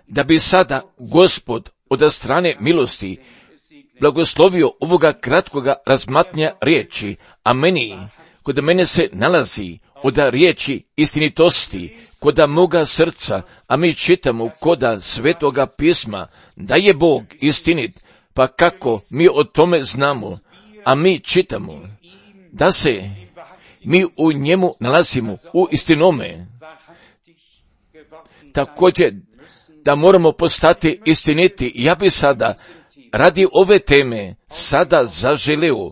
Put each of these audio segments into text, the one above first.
da bi sada Gospod od strane milosti blagoslovio ovoga kratkoga razmatnja riječi, a kod mene se nalazi od riječi istinitosti, koda moga srca, a mi čitamo koda Svetoga pisma, da je Bog istinit, pa kako mi o tome znamo, a mi čitamo da se mi u njemu nalazimo u istinome. Također da moramo postati istiniti. Ja bi sada radi ove teme sada zaželio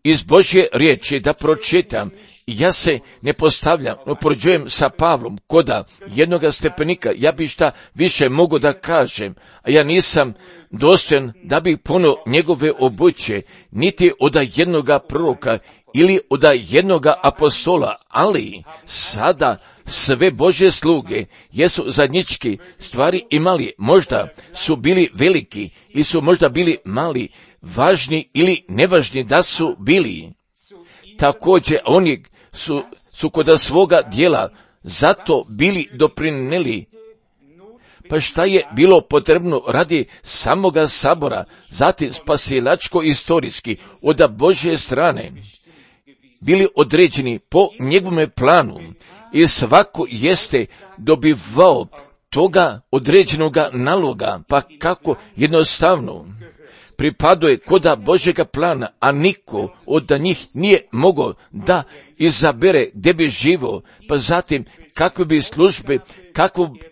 iz Božje riječi da pročitam. Ja se ne postavljam, upoređujem sa Pavlom koda jednoga stepenika. Ja bi šta više mogu da kažem, a ja nisam dostojan da bih puno njegove obuće, niti od jednoga proroka ili od jednoga apostola, ali sada sve Božje sluge jesu zajednički stvari imali, možda su bili veliki ili su možda bili mali, važni ili nevažni da su bili. Također oni su kod svoga dijela zato bili doprinijeli. Pa šta je bilo potrebno radi samoga sabora, zatim spasilačko-istorijski od Božje strane, bili određeni po njegovome planu i svako jeste dobivao toga određenoga naloga, pa kako jednostavno pripaduje koda Božjega plana, a niko od njih nije mogao da izabere gdje bi živo, pa zatim kako bi službe,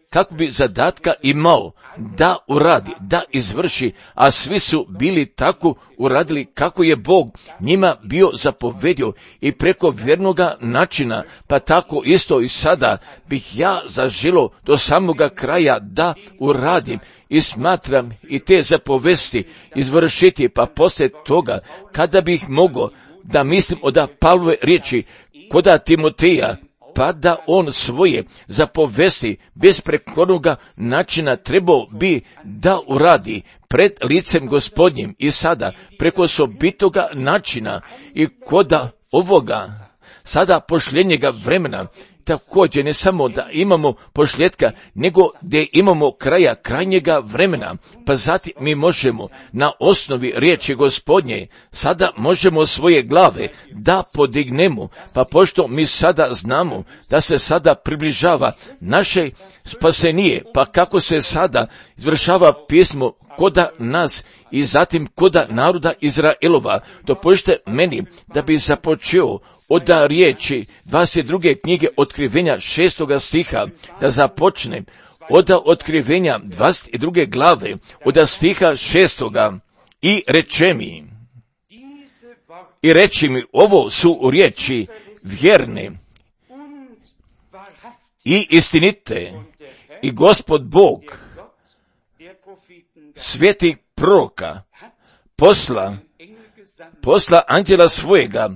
kako bi zadatka imao da uradi, da izvrši, a svi su bili tako uradili kako je Bog njima bio zapovedio i preko vjernoga načina, pa tako isto i sada bih ja zaželio do samoga kraja da uradim i smatram i te zapovesti izvršiti, pa poslije toga kada bih mogao da mislim od Pavlove riječi koda Timoteja, pa da on svoje zapovesti besprekornoga načina trebao bi da uradi pred licem Gospodnjim i sada preko osobitoga načina i koda ovoga sada pošljenjega vremena. Također ne samo da imamo pošljetka, nego da imamo kraja krajnjega vremena, pa zatim mi možemo na osnovi riječi Gospodnje, sada možemo svoje glave da podignemo, pa pošto mi sada znamo da se sada približava naše spasenije, pa kako se sada izvršava pismo koda nas i zatim koda naroda Izraelova, dopustite meni da bi započeo od riječi 22. knjige Otkrivenja 6. stiha, da započnem od Otkrivenja 22. glave, od stiha 6. i reči mi, ovo su riječi vjerne i istinite i Gospod Bog svetih proroka posla anđela svojega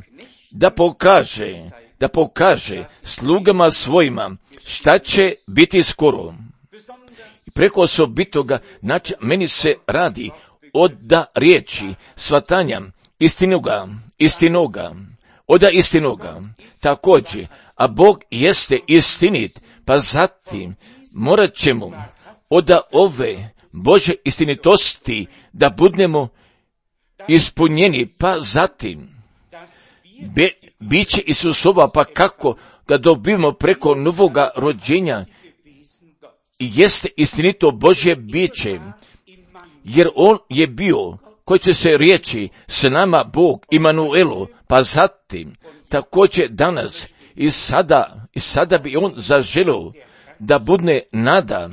da pokaže slugama svojima šta će biti skoro. I preko osobitoga meni se radi od riječi svatanja istinoga. Također, a Bog jeste istinit, pa zatim morat ćemo od ove Božje istinitosti da budemo ispunjeni, pa zatim biće Isusova, pa kako da dobijemo preko novoga rođenja jeste istinito Božje biće, jer On je bio koji će se riječi s nama Bog Imanuelu, pa zatim također danas i sada bi On zaželio da budne nada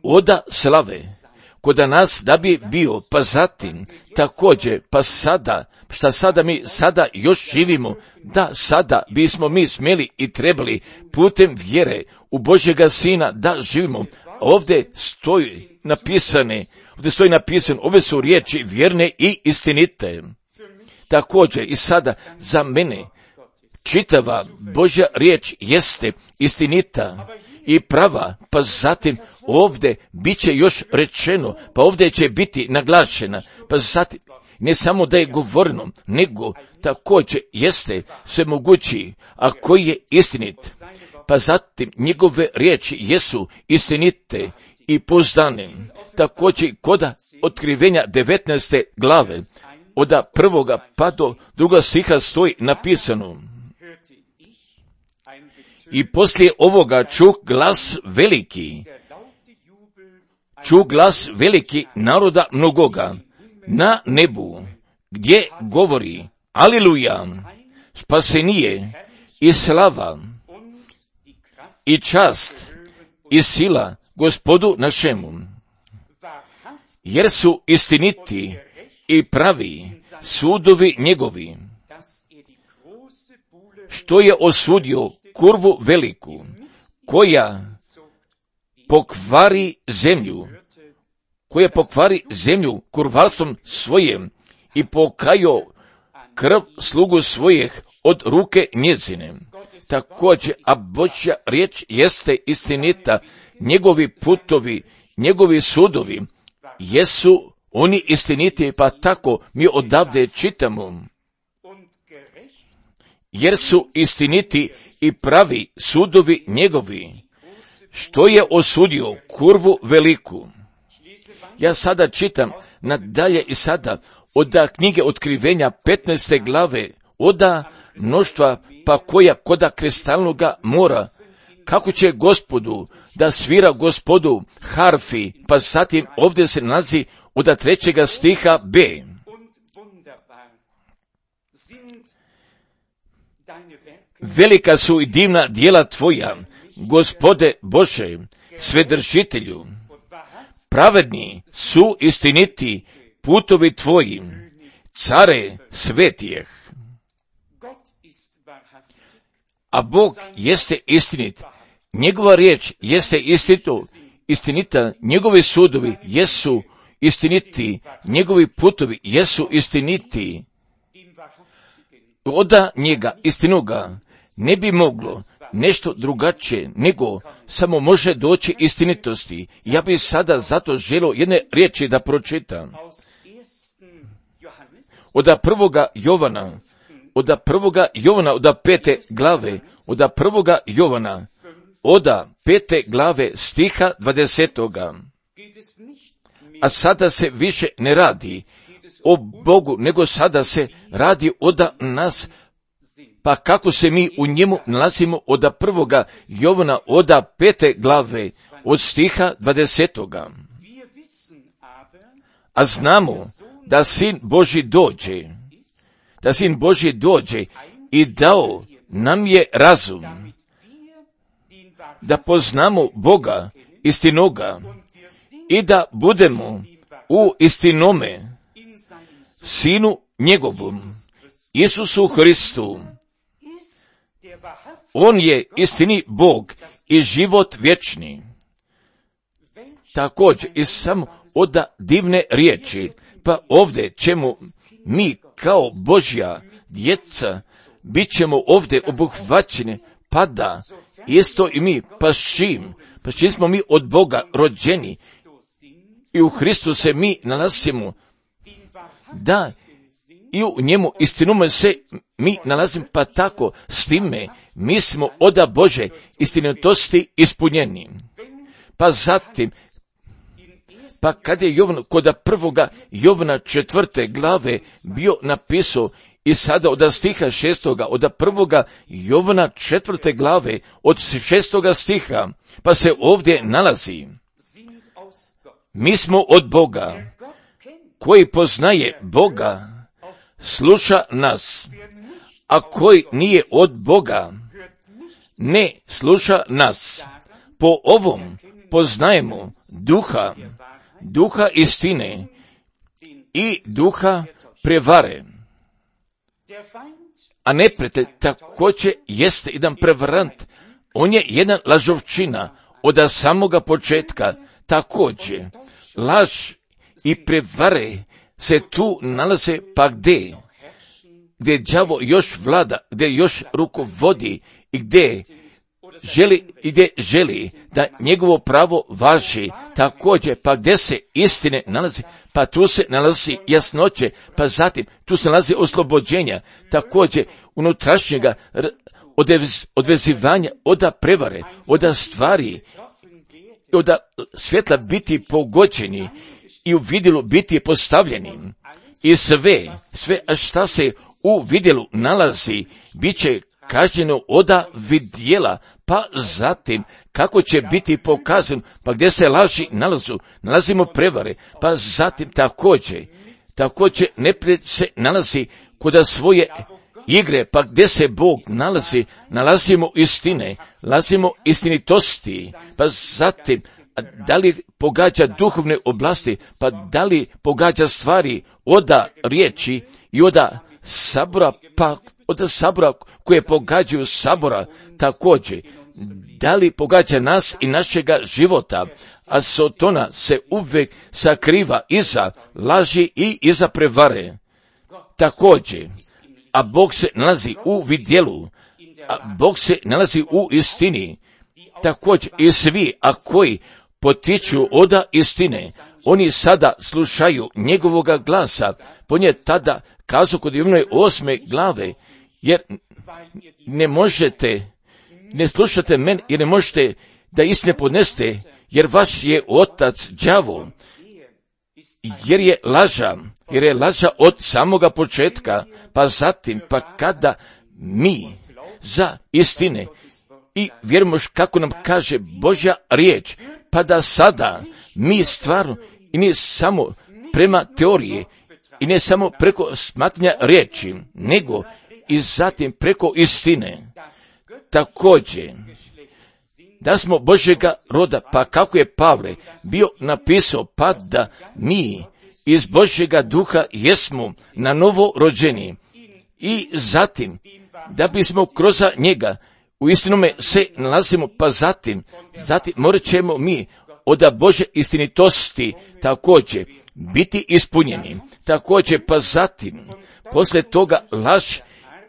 oda slave koda nas da bi bio, pa zatim također, pa sada, šta sada mi sada još živimo, da sada bismo mi smjeli i trebali putem vjere u Božjega Sina da živimo. Ovdje stoji napisano, ove su riječi vjerne i istinite. Također i sada za mene čitava Božja riječ jeste istinita i prava, pa zatim ovdje bit će još rečeno, pa ovdje će biti naglašena, pa zatim ne samo da je govoreno, nego također jeste sve mogući, a koji je istinit. pa zatim njegove riječi jesu istinite i pouzdane. Također kod otkrivenja 19. glave, od 1. pa do 2. stiha stoji napisano: i poslije ovoga čuh glas veliki naroda mnogoga na nebu, gdje govori: Aleluja, spasenije i slava i čast i sila Gospodu našemu, jer su istiniti i pravi sudovi njegovi, što je osudio kurvu veliku, koja pokvari zemlju kurvarstvom svojim i pokajo krv slugu svojih od ruke njezine. Također, a Božja riječ jeste istinita, njegovi putovi, njegovi sudovi jesu oni istiniti, pa tako mi odavde čitamo: jer su istiniti i pravi sudovi njegovi, što je osudio kurvu veliku. Ja sada čitam nadalje i sada od knjige Otkrivenja 15. glave, od mnoštva pa koja koda kristalnoga mora, kako će Gospodu da svira Gospodu harfi, pa zatim ovdje se nalazi od 3. stiha B. Velika su i divna djela tvoja, Gospode Bože, Svedržitelju. Pravedni su istiniti putovi tvoji, care svetijeh. A Bog jeste istinit, njegova riječ jeste istinita, njegovi sudovi jesu istiniti, njegovi putovi jesu istiniti. Od njega, istinoga, ne bi moglo nešto drugačije, nego samo može doći istinitosti. Ja bih sada zato želio jedne riječi da pročitam. Od 1. Jovana, od 5. glave, od 1. Jovana, od 5. glave stiha 20. A sada se više ne radi o Bogu, nego sada se radi od nas, pa kako se mi u njemu nalazimo od 1. Jovana, od 5. glave, od stiha 20. A znamo da Sin Božji dođe i dao nam je razum, da poznamo Boga istinoga i da budemo u istinome Sinu njegovom, Isusu Hristu. On je istini Bog i život vječni. Također i samo od divne riječi, pa ovdje ćemo mi kao Božja djeca, bit ćemo ovdje obuhvaćeni, pa da isto i mi, pa čim smo mi od Boga rođeni i u Hristu se mi nalazimo, da i u njemu istinome se mi nalazimo, pa tako s time mi smo od Bože istinitosti ispunjeni. Pa zatim, pa kad je Jovan kod 1. Jovana 4. glave bio napisao i sada od stiha 6. od 1. Jovana 4. glave od 6. stiha, pa se ovdje nalazi: mi smo od Boga, koji poznaje Boga, sluša nas, a koji nije od Boga, ne sluša nas. Po ovom poznajemo duha istine i duha prevare. A neprijatelj također jeste jedan prevarant, on je jedan lažovčina od samoga početka. Također, laž i prevare se tu nalaze, pa gdje đavo još vlada, gdje još rukovodi i gdje želi da njegovo pravo važi. Također, pa gdje se istine nalazi, pa tu se nalazi jasnoće, pa zatim tu se nalazi oslobođenja, također unutrašnjega odvezivanja, od prevare, od stvari, od svjetla biti pogođeni i u vidilu biti postavljeni. I sve, a šta se u vidilu nalazi, bit će kažnjeno od vidjela, pa zatim kako će biti pokazan, pa gdje se laži nalazimo prevare, pa zatim također neprijatelj se nalazi kod svoje igre, pa gdje se Bog nalazimo istine, nalazimo istinitosti, pa zatim da li pogađa duhovne oblasti, pa da li pogađa stvari od riječi i od sabora, pa od sabora koje pogađaju sabora također, da li pogađa nas i našega života, a Sotona se uvijek sakriva iza laži i iza prevare. Također, a Bog se nalazi u vidjelu, a Bog se nalazi u istini. Također i svi, a koji potiču od istine, oni sada slušaju njegovoga glasa. On je tada kazao kod Jovnove 8. glave, jer ne slušate mene, jer ne možete da istine podneste, jer vaš je otac đavo, jer je laža od samoga početka, pa zatim, pa kada mi za istine i vjerujemo kako nam kaže Božja riječ, pa da sada mi stvarno, i ne samo prema teorije, i ne samo preko smatranja riječi, nego i zatim preko istine. Također, da smo Božjega roda, pa kako je Pavle bio napisao, pa da mi iz Božjega duha jesmo na novo rođeni i zatim da bismo kroz njega u istinome se nalazimo, pa zatim morat ćemo mi od Božje istinitosti također biti ispunjeni. Također, pa zatim, poslije toga laž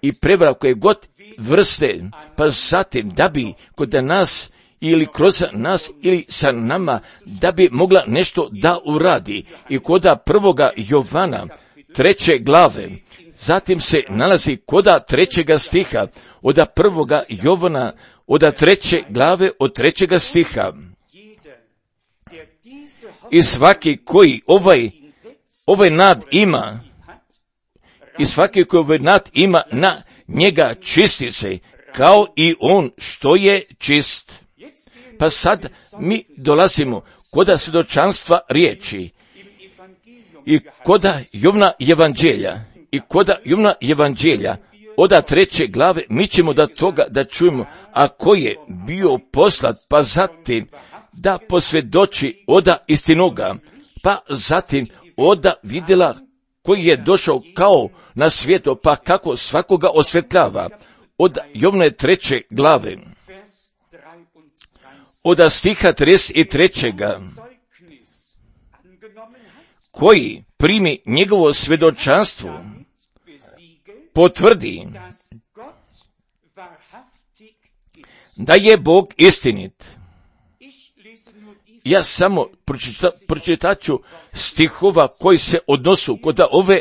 i prevara koje god vrste, pa zatim da bi kod nas ili kroz nas ili sa nama, da bi mogla nešto da uradi. I kod 1. Jovana 3. glave, zatim se nalazi kod 3. stiha, od 1. Jovana, od 3. glave, od 3. stiha. I svaki koji ovaj nad ima, na njega čisti se, kao i on što je čist. Pa sad mi dolazimo kod svjedočanstva riječi i kod Jovna evanđelja, od 3. glave mi ćemo da toga da čujemo, a ko je bio poslat, pa zatim da posvjedoči od istinoga, pa zatim od vidjela koji je došao kao na svijetu, pa kako svakoga osvjetljava. Od Jovne 3. glave, od stiha 33. koji primi njegovo svjedočanstvo, potvrdi da je Bog istinit. Ja samo pročitat ću stihova koji se odnosu kod ove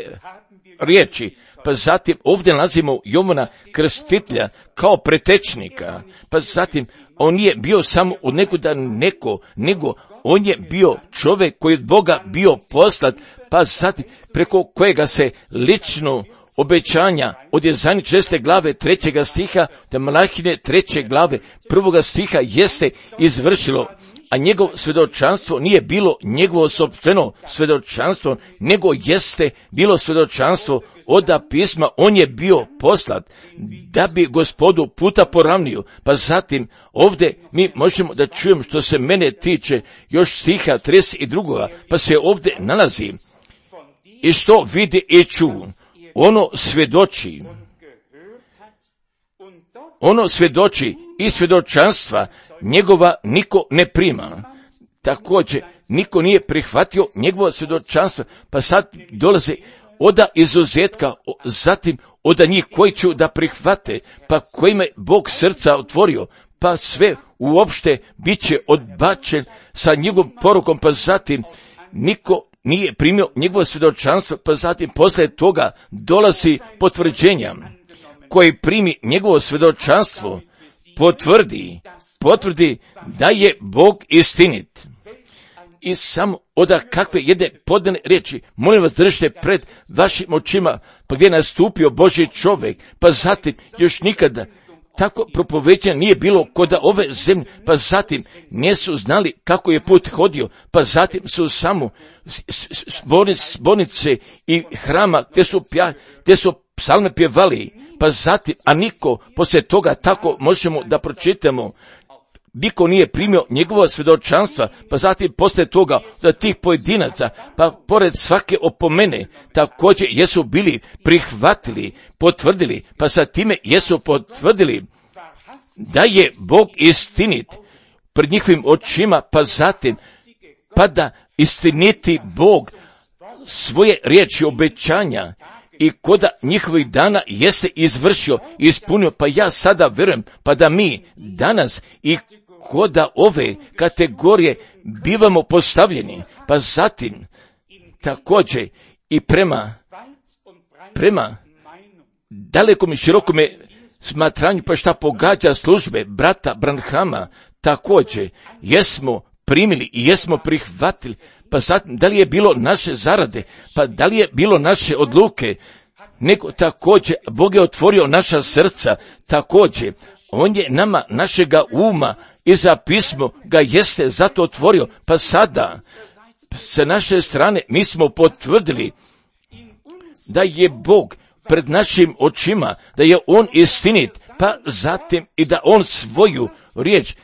riječi, pa zatim ovdje nalazimo Jovana Krstitelja kao pretečnika, pa zatim on nije bio samo od nego on je bio čovjek koji od Boga bio poslat, pa zatim preko kojega se lično obećanja od Jezajine 6. glave 3. stiha do Malahine 3. glave 1. stiha jeste izvršilo, a njegovo svjedočanstvo nije bilo njegovo sopstveno svjedočanstvo, nego jeste bilo svjedočanstvo od pisma, on je bio poslat da bi Gospodu puta poravnio. Pa zatim ovdje mi možemo da čujemo što se mene tiče još stiha 32. pa se ovdje nalazi i što vidi i ču, ono svjedoči i svjedočanstva njegova niko ne prima. Također, niko nije prihvatio njegovo svjedočanstvo, pa sad dolaze od izuzetka, zatim od njih koji ću da prihvate, pa kojima je Bog srca otvorio, pa sve uopšte bit će odbačen sa njegovom porukom, pa zatim niko nije primio njegovo svjedočanstvo, pa zatim poslije toga dolazi potvrđenja. koji primi njegovo svjedočanstvo, potvrdi da je Bog istinit. I samo od kakve jedne podane riječi, molim vas, držite pred vašim očima, pa gdje je nastupio Božji čovjek, pa zatim još nikada tako propoveđenja nije bilo kod ove zemlje, pa zatim nisu znali kako je put hodio, pa zatim su samo zbornice i hrama gdje su psalme pjevali, pa zatim, a niko poslije toga, tako možemo da pročitamo, niko nije primio njegovo svjedočanstva, pa zatim poslije toga da tih pojedinaca, pa pored svake opomene, također jesu bili prihvatili, potvrdili, pa sa time jesu potvrdili da je Bog istinit pred njihovim očima, pa zatim, pa da istiniti Bog svoje riječi obećanja i koda njihovih dana jeste izvršio, ispunio, pa ja sada vjerujem, pa da mi danas i koda ove kategorije bivamo postavljeni, pa zatim također i prema dalekom i širokome smatranju, pa šta pogađa službe brata Branhama, također jesmo primili i jesmo prihvatili, pa zatim da li je bilo naše zarade, pa da li je bilo naše odluke, nego također Bog je otvorio naša srca, također On je nama našega uma i za pismo ga jeste zato otvorio, pa sada sa naše strane mi smo potvrdili da je Bog pred našim očima, da je On istinit, pa zatim i da On svoju riječ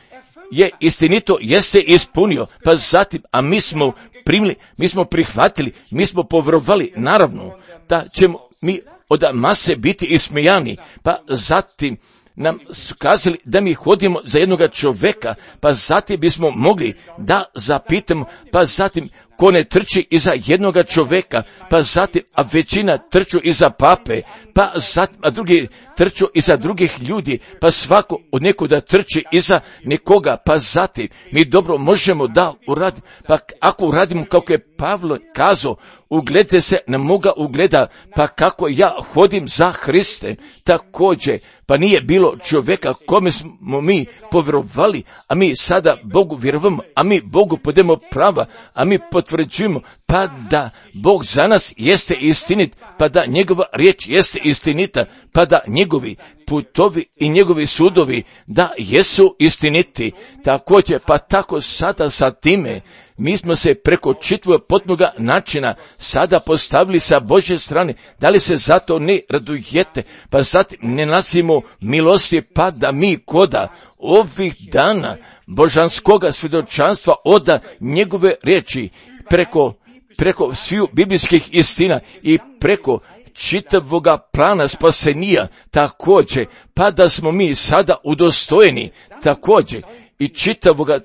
je istinito, jeste ispunio, pa zatim, a mi smo primili, mi smo prihvatili, mi smo povjerovali, naravno, da ćemo mi od mase biti ismijani, pa zatim nam su kazali da mi hodimo za jednoga čovjeka, pa zatim bismo mogli da zapitamo, pa zatim ko ne trči iza jednoga čovjeka, pa zatim, a većina trču iza pape, pa zatim, a drugi trču iza drugih ljudi, pa svako od nekoga trči iza nekoga, pa zatim mi dobro možemo da uradimo, pa ako uradimo kako je Pavlo kazao, ugledajte se na moga ugleda, pa kako ja hodim za Hriste, također, pa nije bilo čovjeka kome smo mi povjerovali, a mi sada Bogu vjerujemo, a mi Bogu podemo prava, a mi potvrđujemo, pa da Bog za nas jeste istinit, pa da njegova riječ jeste istinita, pa da njegovi putovi i njegovi sudovi da jesu istiniti. Također, pa tako sada sa time mi smo se preko čitavog potpunoga načina sada postavili sa Božje strane. Da li se zato ne radujete, pa zatim ne nasimo milosti, pa da mi koda ovih dana božanskoga svjedočanstva oda njegove riječi preko sviju biblijskih istina i preko čitavoga plana spasenija, također, pa da smo mi sada udostojeni, također, i čitavoga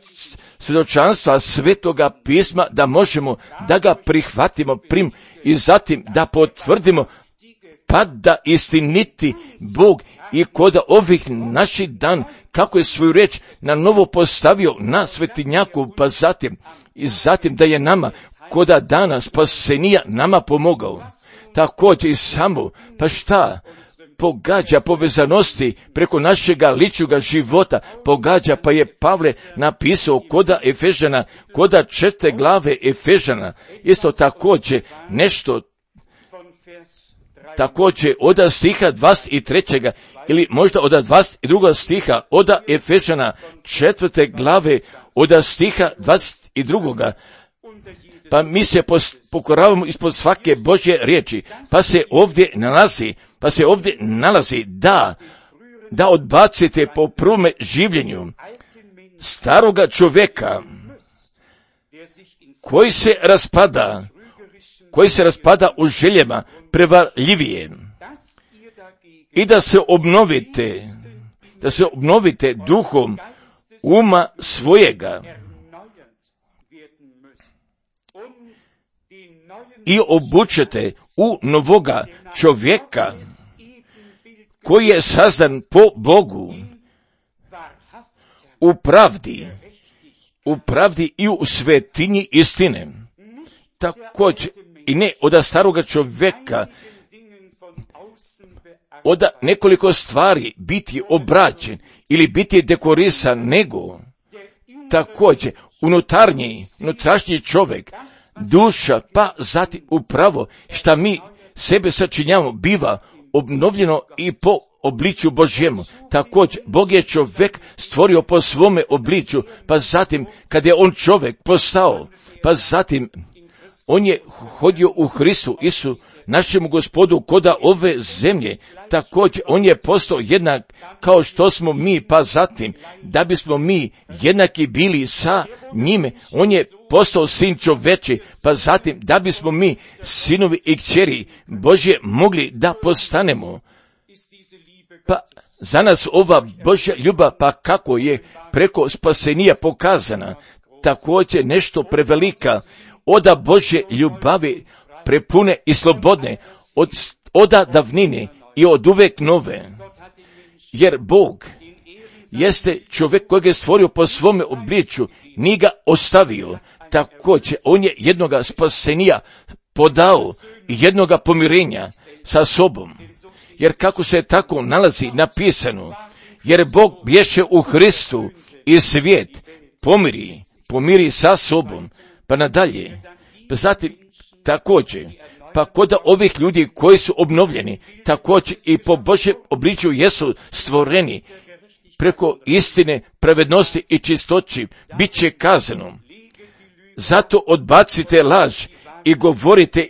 svjedočanstva Svetoga pisma, da možemo da ga prihvatimo i zatim da potvrdimo, pa da istiniti Bog i kod ovih naših dan, kako je svoju riječ na novo postavio na svetinjaku, pa zatim da je nama koda dana spasenija nama pomogao. Također i samo, pa šta pogađa povezanosti preko našega ličnoga života, pogađa, pa je Pavle napisao koda Efežana, koda 4. glave Efežana, isto također nešto, također od stiha 23. ili možda od 22. stiha od Efežana 4. glave od stiha 22. Pa mi se pokoravamo ispod svake Božje riječi, pa se ovdje nalazi da odbacite po prvome življenju staroga čovjeka koji se raspada u željama prevarljivije i da se obnovite duhom uma svojega i obučete u novoga čovjeka koji je sazdan po Bogu u pravdi i u svetinji istine. Također i ne od staroga čovjeka od nekoliko stvari biti obrađen ili biti dekorisan, nego također unutrašnji čovjek, duša, pa zatim upravo šta mi sebe sačinjamo biva obnovljeno i po obličju Božjemu. Također, Bog je čovjek stvorio po svome obličju, pa zatim, kad je on čovjek postao, pa zatim, on je hodio u Hristu Isu, našemu Gospodu, koda ove zemlje. Također, on je postao jednak kao što smo mi, pa zatim, da bismo mi jednaki bili sa njime, on je postao sin čoveči, pa zatim, da bismo mi sinovi i kćeri Božje mogli da postanemo. Pa za nas ova Božja ljubav, pa kako je preko spasenija pokazana, također nešto prevelika, oda Božje ljubavi prepune i slobodne, od davnine i od uvek nove. Jer Bog jeste čovjek kojeg je stvorio po svome obličju, nije ga ostavio. Također, on je jednoga spasenija podao i jednoga pomirenja sa sobom. Jer kako se tako nalazi napisano, jer Bog bješe u Hristu i svijet pomiri sa sobom, pa nadalje. Pa zatim, također, pa kod ovih ljudi koji su obnovljeni, također i po Božjem obličju jesu stvoreni, preko istine, pravednosti i čistoći, bit će kazano. Zato odbacite laž i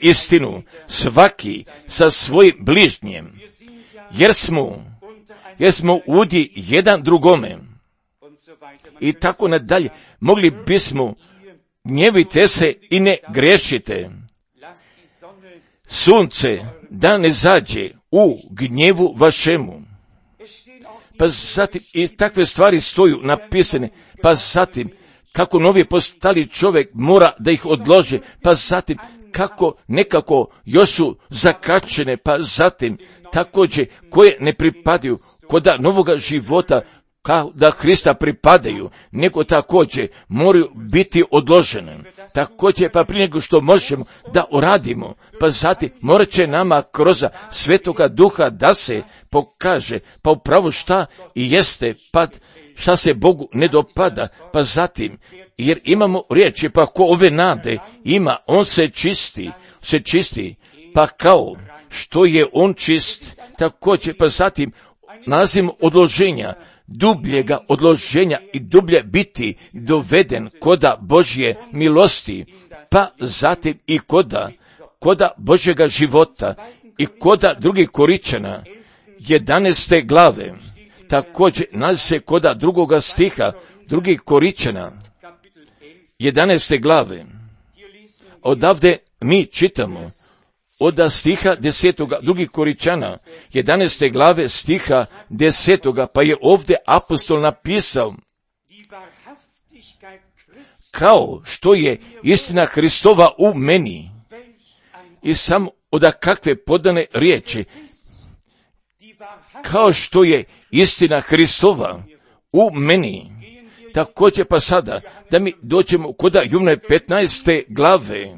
istinu, svaki sa svojim bližnjem, jer smo udi jedan drugome. I tako nadalje, mogli bismo, gnjevite se i ne grešite. Sunce da ne zađe u gnjevu vašemu. Pa zatim, i takve stvari stoju napisane, pa zatim, kako novi postali čovjek mora da ih odlože, pa zatim, kako nekako još su zakačene, pa zatim, također, koje ne pripadaju koda novoga života, kao da Hrista pripadaju, nego također moraju biti odložene. Također, pa prije nego što možemo da uradimo, pa zatim morat će nama kroz Svetoga Duha da se pokaže, pa upravo šta i jeste, pa šta se Bogu ne dopada, pa zatim, jer imamo riječi, pa ko ove nade ima, on se čisti, pa kao što je on čist, također, pa zatim nalazimo odloženja, dubljega odloženja i dublje biti doveden koda Božje milosti, pa zatim i koda Božjega života i koda drugih Koričana, 11. glave, također nalazi se koda drugoga stiha, drugih Koričana, 11. glave. Odavde mi čitamo, od stiha 10. drugih Koričana, 11. glave stiha 10. pa je ovdje apostol napisao, kao što je istina Hristova u meni. I samo od kakve podane riječi, kao što je istina Hristova u meni. Također pa sada, da mi dođemo kod Jovana 15. glave.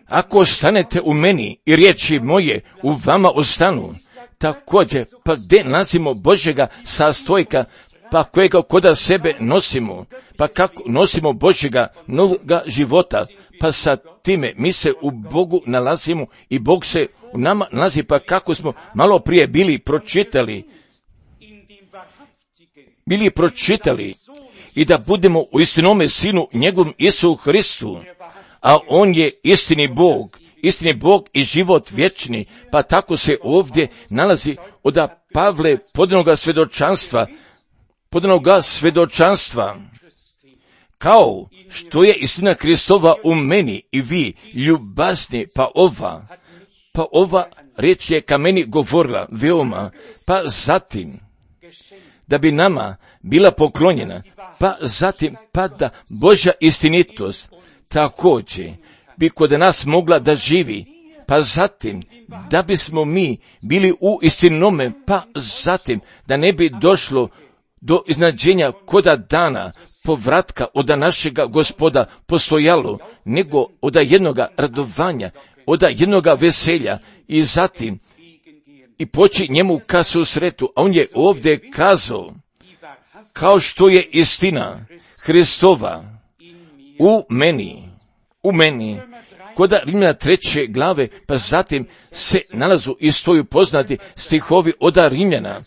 Ako ostanete u meni i riječi moje u vama ostanu, također, pa gdje nalazimo Božjega sastojka, pa kojega koda sebe nosimo, pa kako nosimo Božjega novoga života, pa sa time mi se u Bogu nalazimo i Bog se u nama nalazi, pa kako smo malo prije bili pročitali i da budemo u istinome Sinu njegovom Isu Hristu, a on je istini Bog i život vječni, pa tako se ovdje nalazi od Pavle podanoga svjedočanstva, kao što je istina Hristova u meni i vi ljubazni, pa ova riječ je ka meni govorila veoma, pa zatim da bi nama bila poklonjena, pa zatim pa da Božja istinitost također bi kod nas mogla da živi, pa zatim da bismo mi bili u istinome, pa zatim da ne bi došlo do iznađenja koda dana povratka od našega Gospoda postojalo, nego od jednoga radovanja, od jednoga veselja i zatim i poći njemu ka susretu. A on je ovdje kazao, kao što je istina Hristova u meni, kod Rimljana 3. glave, pa zatim se nalazu i stoju poznati stihovi od Rimljana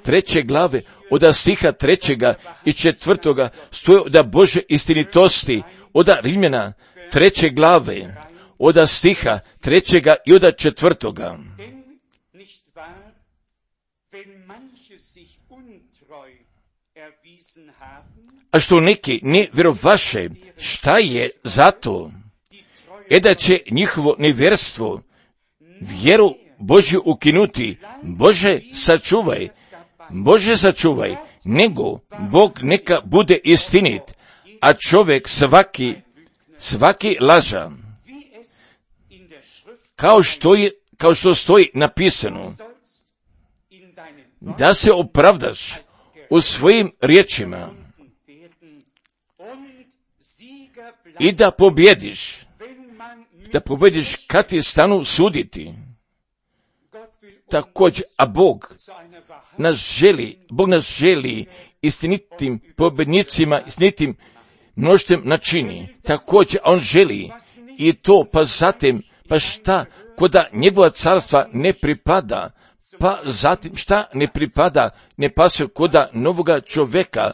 3. glave, od stiha 3. i 4. stoje od Bože istinitosti, od Rimljana 3. glave, od stiha 3. i od 4. A što neki ne vjerovaše, šta je zato? Da će njihovo nevjerstvo vjeru Božju ukinuti. Bože sačuvaj, nego Bog neka bude istinit, a čovjek svaki laža. Kao što stoji napisano, da se opravdaš u svojim riječima i da pobjediš kad ti stanu suditi. Također, a Bog nas želi istinitim pobjednicima, istinitim mnoštvom načini. Također, on želi i to, pa zatim, pa šta, koda njegova carstva ne pripada, pa zatim šta ne pripada, ne pasuje koda novoga čovjeka,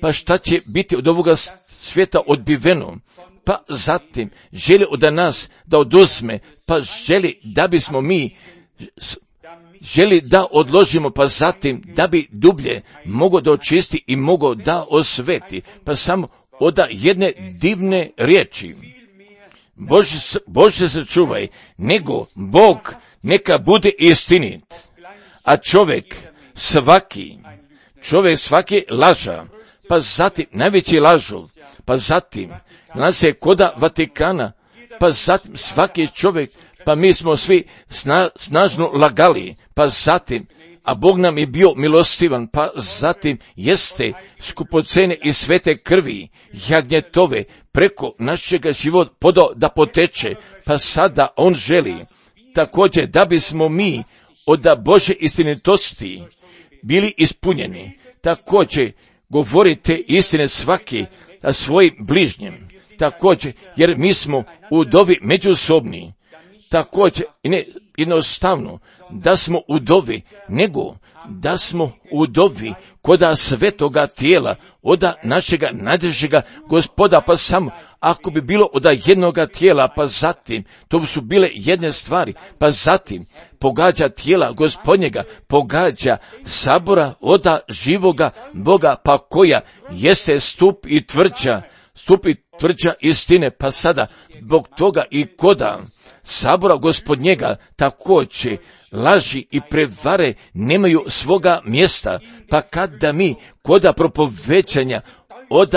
pa šta će biti od ovoga svijeta odbiveno, pa zatim želi od nas da oduzme, pa želi da bismo mi želi da odložimo, pa zatim da bi dublje mogo da očisti i mogo da osveti, pa samo od jedne divne riječi. Bože sačuvaj, nego Bog neka bude istinit, a čovjek svaki laža, pa zatim najveći lažu, pa zatim nas je koda Vatikana, pa zatim svaki čovjek, pa mi smo svi snažno lagali, pa zatim, a Bog nam je bio milostivan, pa zatim jeste skupocene i svete krvi jagnjetove preko našega života podao da poteče, pa sada on želi također da bismo mi od Bože istinitosti bili ispunjeni. Također govorite istine svaki na svojim bližnjem. Također, jer mi smo udovi međusobni. Također, ne jednostavno da smo udovi, nego da smo udovi koda svetoga tijela, od našega najdražega Gospoda, pa samo ako bi bilo od jednoga tijela, pa zatim, to su bile jedne stvari, pa zatim pogađa tijela Gospodnjega, pogađa sabora od živoga Boga, pa koja jeste stup i tvrđa istine, pa sada zbog toga i koda sabora Gospodnjega također laži i prevare nemaju svoga mjesta, pa kada mi koda propovećanja od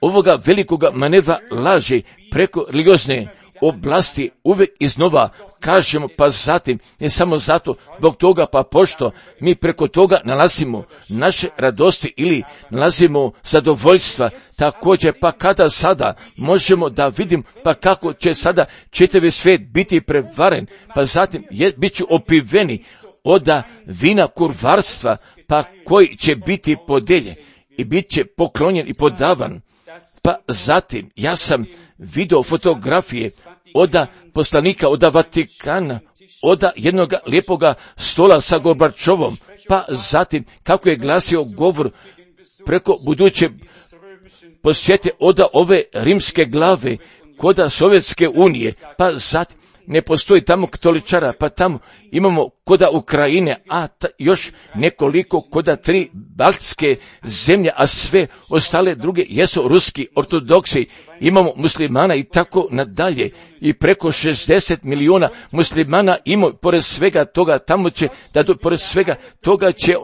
ovoga velikoga manevra laži preko religiozne oblasti uvijek iznova kažemo, pa zatim, ne samo zato, zbog toga, pa pošto mi preko toga nalazimo naše radosti ili nalazimo zadovoljstva, također, pa kada sada možemo da vidim, pa kako će sada čitavi svijet biti prevaren, pa zatim bit ću opiveni od vina kurvarstva, pa koji će biti podeljen i bit će poklonjen i podavan. Pa zatim, ja sam vidio fotografije od poslanika, od Vatikana, od jednog lijepoga stola sa Gorbačovom, pa zatim kako je glasio govor preko buduće posjete od ove rimske glave, koda Sovjetske unije, pa zatim ne postoji tamo katoličara, pa tamo imamo koda Ukrajine, a još nekoliko koda 3 baltske zemlje, a sve ostale druge jesu ruski ortodoksi, imamo muslimana i tako nadalje, i preko 60 milijuna muslimana ima, pored svega toga, tamo će, pored svega toga će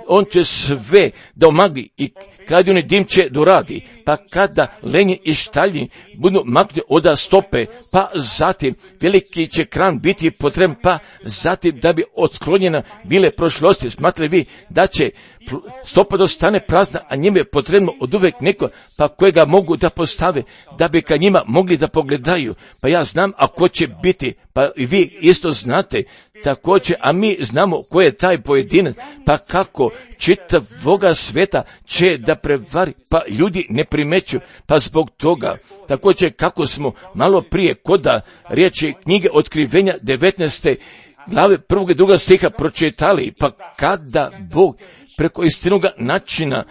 on će sve da omagli i kad oni dim će doradi, pa kada lenje i štalji budu maknuti od stope, pa zatim veliki će kran biti potreban, pa zatim da bi otklonjena bile prošlosti. Smatrali vi da će stopa dostane prazna, a njima je potrebno od uvek neko, pa kojega mogu da postave, da bi ka njima mogli da pogledaju. Pa ja znam, a ko će biti, pa i vi isto znate, također, a mi znamo ko je taj pojedinac, pa kako čitavoga sveta će da prevari, pa ljudi ne primeću, pa zbog toga, također kako smo malo prije koda riječi knjige Otkrivenja 19. glave 1. i 2. stiha pročitali, pa kada Bog preko istinoga načina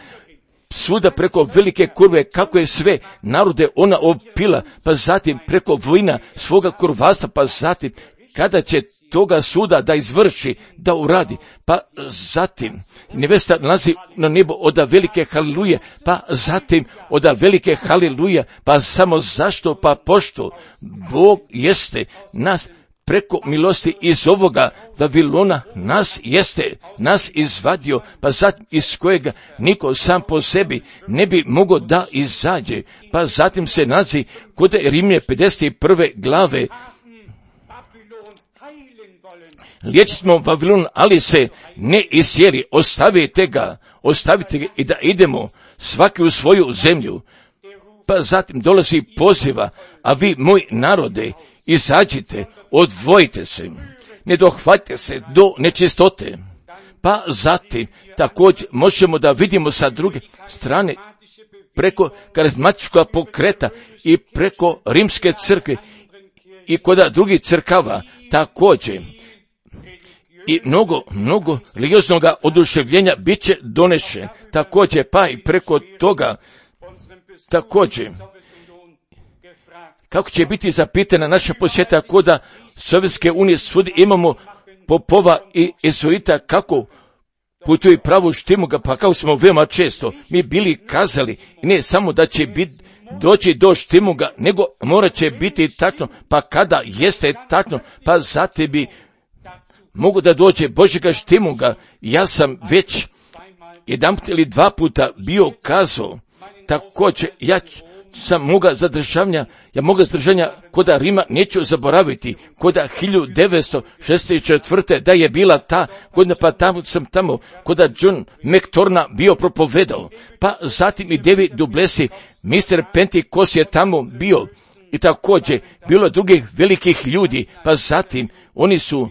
svuda preko velike kurve, kako je sve narode ona opila, pa zatim preko vojna svoga kurvasta, pa zatim kada će toga suda da izvrši, da uradi, pa zatim nevesta nalazi na nebo oda velike haliluje, pa zatim oda velike haliluje, pa samo zašto, pa pošto Bog jeste nas preko milosti iz ovoga Vavilona nas izvadio, pa zatim iz kojega niko sam po sebi ne bi mogao da izađe, pa zatim se nalazi kod Rimlje 51. glave, liječili smo Vavilon, ali se ne isjeli, ostavite ga i da idemo svaki u svoju zemlju. Pa zatim dolazi poziva, a vi, moji narode, izađite, odvojite se, ne dohvatite se do nečistote. Pa zatim također možemo da vidimo sa druge strane preko karizmatičkog pokreta i preko rimske crkve i kod drugih crkava također. I mnogo religioznog oduševljenja bit će donešen također, pa i preko toga također. Kako će biti zapitana naša posjeta koda Sovjetske unije, svudi imamo popova i jezuita kako putuju pravu štimuga, pa kao smo veoma često mi bili kazali, ne samo da će doći do štimuga, nego morat će biti tačno, pa kada jeste tačno, pa zatim bi mogu da dođe Božjega štimuga. Ja sam već jedan ili dva puta bio kazao, također ja sam moga zadržanja koda Rima neću zaboraviti, koda 1964. da je bila ta godina, pa tamo koda John McTorna bio propovedao, pa zatim i David Duplessis, Mr. Pentecost je tamo bio i također bilo drugih velikih ljudi, pa zatim oni su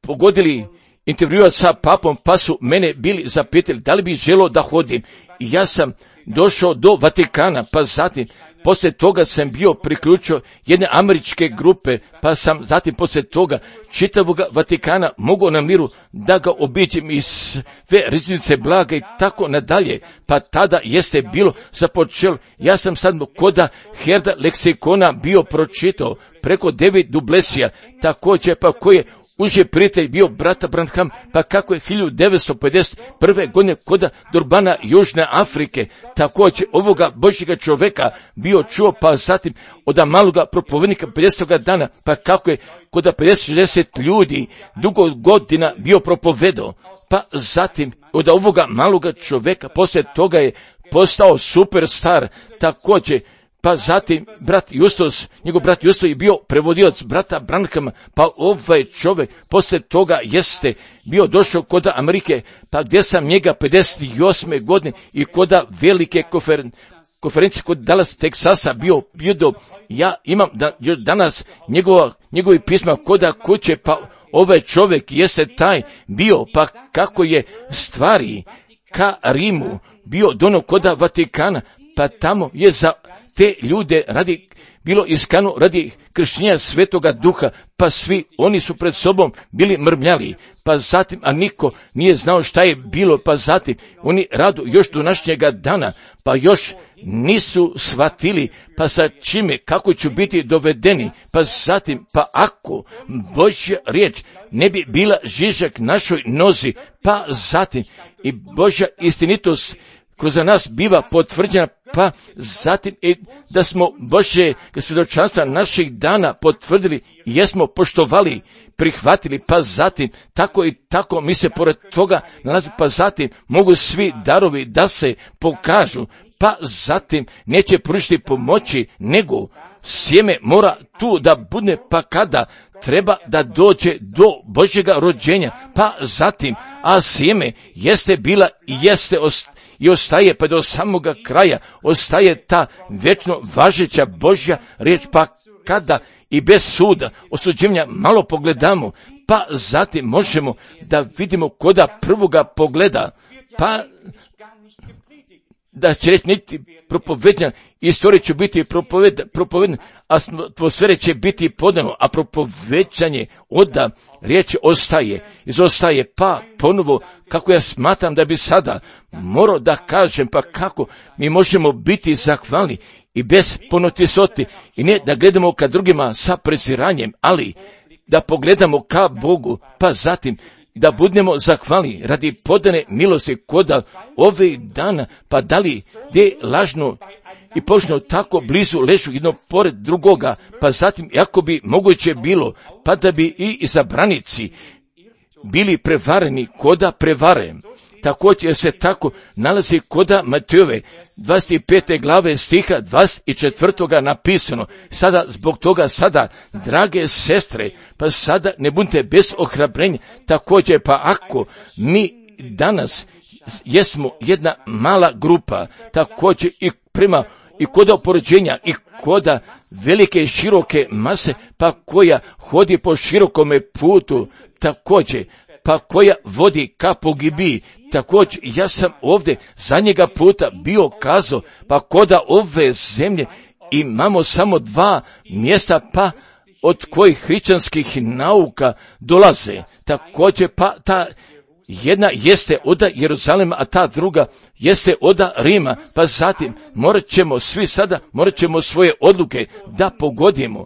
pogodili intervjua sa papom, pa su mene bili zapitali da li bi želio da hodim. I ja sam došao do Vatikana, pa zatim poslije toga sam bio priključio jedne američke grupe, pa sam zatim poslije toga čitavog Vatikana mogao na miru da ga obiđem iz sve riznice blaga i tako nadalje. Pa tada jeste bilo započelo. Ja sam sad koda Herda leksikona bio pročitao preko David Duplessisa, također pa koji je uži prijatelj bio brata Branham, pa kako je 1951. godine koda Durbana Južne Afrike također ovoga Božjega čovjeka bio čuo, pa zatim od maloga propovednika 50. dana, pa kako je koda 50-60 ljudi dugo godina bio propovedao, pa zatim od ovoga maloga čovjeka poslije toga je postao superstar također. Pa zatim njegov brat Justus je bio prevodioc brata Branhama, pa ovaj čovjek poslije toga jeste bio došao kod Amerike, pa gdje sam njega 58. godine i kod velike konferencije kod Dallas, Teksasa bio. Ja imam danas njegovi pisma kod kuće, pa ovaj čovjek jeste taj bio, pa kako je stvari ka Rimu bio dono kod Vatikana, pa tamo je za te ljude bilo iskano radi krštenja Svetoga Duha, pa svi oni su pred sobom bili mrmljali, pa zatim, a niko nije znao šta je bilo, pa zatim oni radu još do današnjega dana, pa još nisu shvatili, pa sa čime, kako će biti dovedeni, pa zatim, pa ako Božja riječ ne bi bila žižak našoj nozi, pa zatim i Božja istinitost kroz nas biva potvrđena, pa zatim i da smo Božje svjedočanstva naših dana potvrdili i jesmo poštovali, prihvatili, pa zatim tako i tako mi se pored toga nalazi, pa zatim mogu svi darovi da se pokažu, pa zatim neće pružiti pomoći, nego sjeme mora tu da bude, pa kada treba da dođe do Božjega rođenja, pa zatim, a sjeme jeste bila i jeste i ostaje pa do samoga kraja, ostaje ta vječno važeća Božja riječ, pa kada i bez suda, osuđenja malo pogledamo, pa zatim možemo da vidimo koda prvoga pogleda, pa da će reći niti propovednja, istorija će biti propovedna, a atmosfere će biti podano, a propoveđanje oda riječ izostaje, pa ponovo, kako ja smatram da bi sada morao da kažem, pa kako mi možemo biti zahvalni i bez ponotisoti, i ne da gledamo ka drugima sa preziranjem, ali da pogledamo ka Bogu, pa zatim da budemo zahvalni radi podane milosti koda ove dana, pa da li gdje lažno i pošteno tako blizu ležu jedno pored drugoga, pa zatim ako bi moguće bilo, pa da bi i izabranici bili prevareni koda prevare. Također se tako nalazi koda Matejove 25. glave stiha 24. napisano. Sada, zbog toga sada, drage sestre, pa sada ne budite bez ohrabrenja. Također, pa ako mi danas jesmo jedna mala grupa, također i prema i koda opoređenja i koda velike i široke mase, pa koja hodi po širokome putu, također, pa koja vodi ka pogibiji. Također, ja sam ovdje zadnjega puta bio kazao, pa koda ove zemlje imamo samo 2 mjesta, pa od kojih hrišćanskih nauka dolaze. Također, pa ta jedna jeste oda Jeruzalema, a ta druga jeste oda Rima, pa zatim morat ćemo svoje odluke da pogodimo,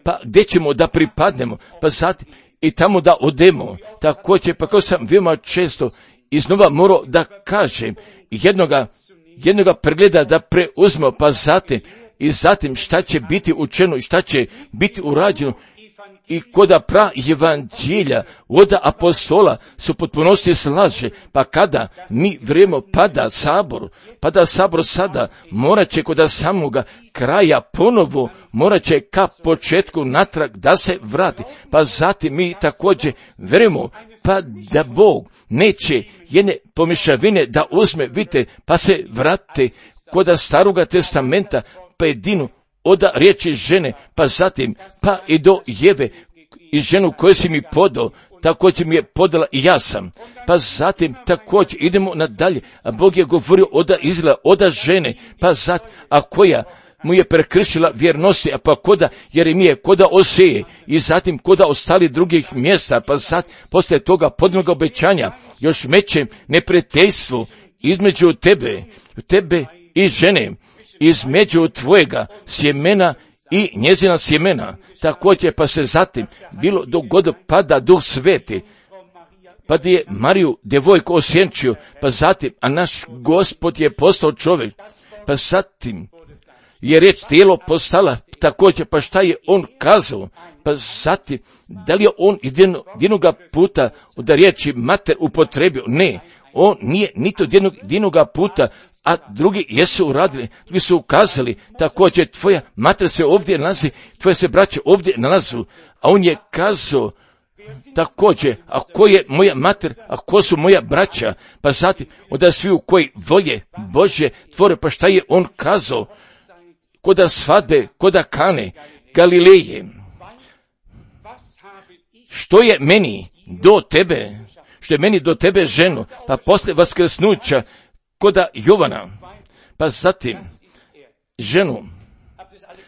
pa gdje ćemo da pripadnemo, pa zatim i tamo da odemo. Također, pa kao sam veoma često iznova morao da kažem, jednoga pregleda da preuzmemo, pa zatim šta će biti učeno i šta će biti urađeno, i koda pra evanđelja, oda apostola su potpunosti slaže, pa kada mi vrijeme pada sabor sada, morat će koda samoga kraja ponovo, morat će ka početku natrag da se vrati, pa zatim mi također vjerujemo, pa da Bog neće jedne pomješavine da uzme, vidite, pa se vrate koda staroga testamenta, pa jedinu oda riječi žene, pa zatim, pa i do Jeve, i ženu koju si mi podao, također mi je podala i ja sam. Pa zatim također idemo nadalje, a Bog je govorio oda Izraela, oda žene, pa zatim, a koja mu je prekršila vjernosti, a pa koda Jeremije, koda Oseje, i zatim koda ostali drugih mjesta, pa zatim poslije toga podnog obećanja, još većem neprijateljstvu između tebe i žene, između tvojega sjemena i njezina sjemena. Također, pa se zatim bilo dogod pada Duh Sveti, pa da je Mariju djevojku osjenčio, pa zatim, a naš Gospod je postao čovjek, pa zatim je riječ tijelo postala, također, pa šta je on kazao, pa zatim, da li je on jednoga puta da riječi mater upotrebio? Ne, on nije niti jednoga puta, a drugi jesu uradili, drugi su ukazali, također tvoja mater se ovdje nalazi, tvoje se braće ovdje nalazu, a on je kazao također, a ko je moja mater, a ko su moja braća, pa zatim, onda svi u koji volje Božje tvore, pa šta je on kazao, koda svadbe, koda Kane, Galileje, što je meni do tebe ženo, pa poslije vaskrsnuća, koda Jovana, pa zatim ženu,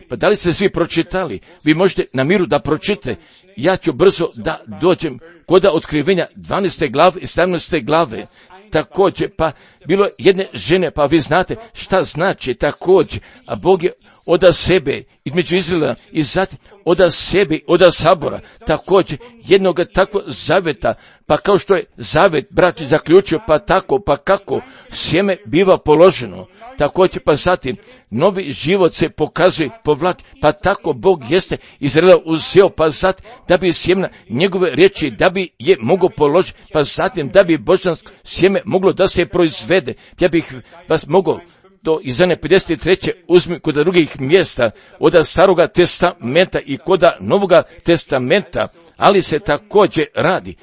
pa da li ste svi pročitali? Vi možete na miru da pročitate, ja ću brzo da dođem koda Otkrivenja 12. glave i 17. glave, također, pa bilo jedne žene, pa vi znate šta znači također, a Bog je oda sebe između Izraela i zatim oda sebe, oda sabora, također jednog takvog zaveta, pa kao što je zavet braći zaključio, pa tako, pa kako sjeme biva položeno, također, pa zatim novi život se pokazuje, povlači, pa tako Bog jeste Izraela uzeo, pa zatim da bi sjemena njegove riječi, da bi je mogao položiti, pa zatim da bi božansko sjeme moglo da se proizvede. Ja bih vas mogao do Izane 53. uzmi kod drugih mjesta od Staroga testamenta i kod Novoga testamenta, ali se također radi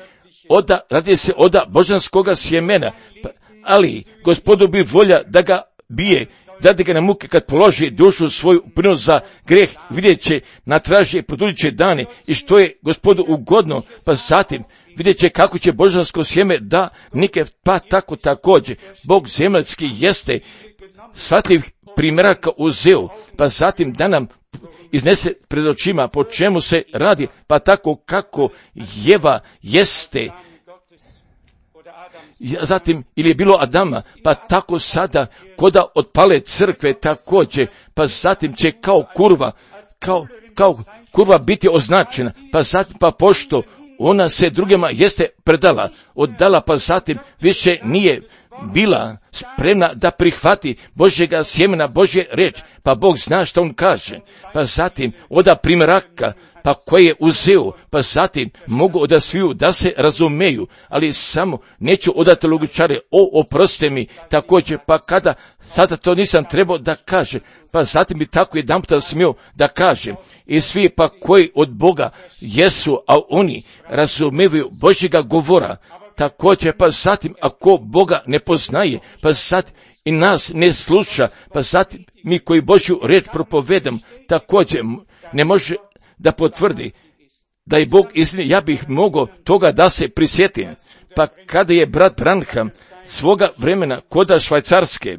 se od božanskoga sjemena, ali Gospodu bi volja da ga bije, dade ga na muke kad položi dušu svoju prinos za greh, vidjet će na traži produžit će dane i što je Gospodu ugodno, pa zatim vidjet će kako će božansko sjeme da nike, pa tako također Bog zemaljski jeste shvatljivih primjeraka uzeo, pa zatim da nam iznese pred očima po čemu se radi, pa tako kako Jeva jeste, zatim ili je bilo Adama, pa tako sada koda otpale crkve također, pa zatim će kao kurva biti označena, pa zatim pa pošto ona se drugima jeste oddala, pa zatim više nije bila spremna da prihvati Božjega sjemena, Božje riječ, pa Bog zna što on kaže, pa zatim oda primjeraka, pa koje je uzeo, pa zatim mogu odasviju da se razumeju, ali samo neću odati logičare, oproste mi, također, pa kada sada to nisam trebao da kaže, pa zatim bi tako jedanputa smio da kaže, i svi pa koji od Boga jesu, a oni razumevaju Božjega govora, također, pa zatim ako Boga ne poznaje, pa zatim i nas ne sluša, pa zatim mi koji Božju riječ propovedam, također ne može da potvrdi da je Bog istina. Ja bih mogao toga da se prisjetim, pa kada je brat Branham svoga vremena koda Švajcarske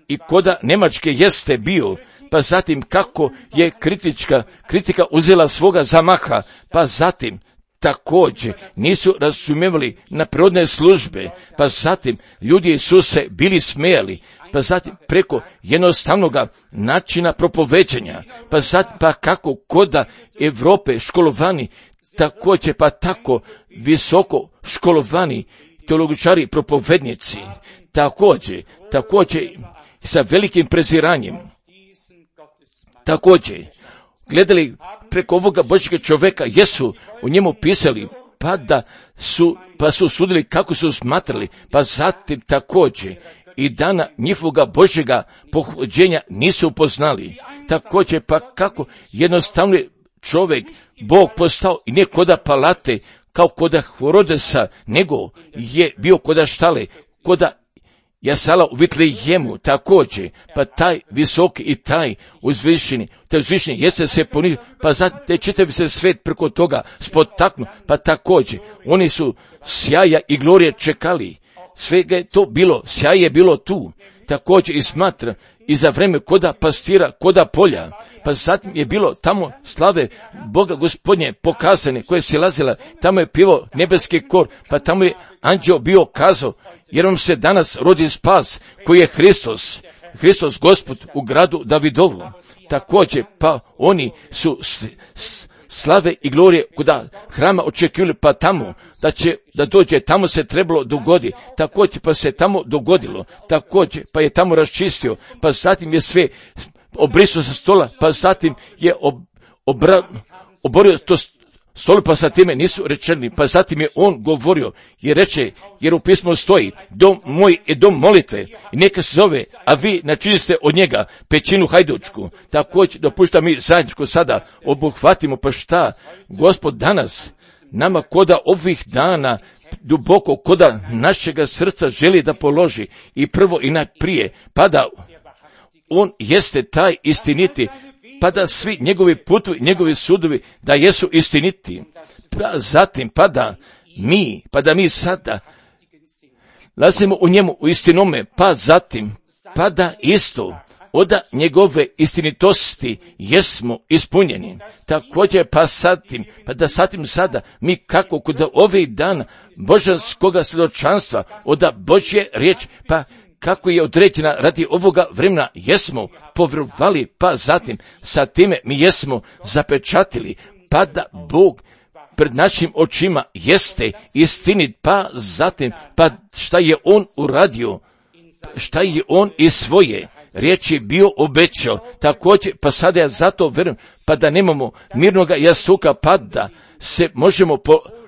i koda Njemačke jeste bio, pa zatim kako je kritika uzela svoga zamaha, pa zatim također nisu razumijevali na prirodne službe, pa zatim ljudi su se bili smijali, pa zatim preko jednostavnoga načina propoveđenja, pa zatim pa kako koda Europe školovani, također pa tako visoko školovani teologičari, propovednici, također sa velikim preziranjem, također gledali preko ovoga Božjega čovjeka, jesu o njemu pisali, pa su sudili kako su smatrali, pa zatim također i dana njihovoga Božjega pohođenja nisu upoznali, također pa kako jednostavno čovjek Bog postao i ne koda palate, kao koda Herodesa, nego je bio koda štale, koda Jasala u Vitlejemu, također, pa taj visoki i taj uzvišeni jeste se ponizio, pa zatim te čitavi se svet preko toga spotaknu, pa također, oni su sjaja i glorije čekali, svega je to bilo, sjaj je bilo tu, također i smatra, i za vreme koda pastira, koda polja, pa zatim je bilo tamo slave Boga Gospodnje pokazane, koje se lazila, tamo je pivao nebeski kor, pa tamo je anđeo bio kazao, jer vam se danas rodi spas, koji je Hristos Gospod u gradu Davidovu. Također, pa oni su slave i glorije kuda hrama očekivali, pa tamo da dođe, tamo se trebalo dogoditi, također pa se tamo dogodilo, također pa je tamo raščistio, pa zatim je sve obrisao sa stola, pa zatim je oborio to stolu, pa sa time nisu rečeni, pa zatim je on govorio i reče, jer u pismu stoji, dom moj je dom molitve i neka se zove, a vi načinili ste od njega pećinu hajdučku. Također dopušta mi zajedničko sada obuhvatimo, pa šta Gospod danas nama koda ovih dana duboko koda našega srca želi da položi i prvo i najprije, pa da on jeste taj istiniti, pa da svi njegovi putovi, njegovi sudovi da jesu istiniti, pa zatim pa da mi sada lazimo u njemu u istinome, pa zatim pa da isto od njegove istinitosti jesmo ispunjeni. Također pa da zatim sada mi kako kod ovih dana božanskoga svjedočanstva od Božje riječ, pa kako je određena radi ovoga vremena, jesmo povjerovali, pa zatim sa time mi jesmo zapečatili, pa da Bog pred našim očima jeste istinit, pa zatim, pa šta je on uradio, šta je on iz svoje riječi bio obećao, također, pa sada ja zato vjerujem, pa da nemamo mirnoga jasuka, pa da se možemo,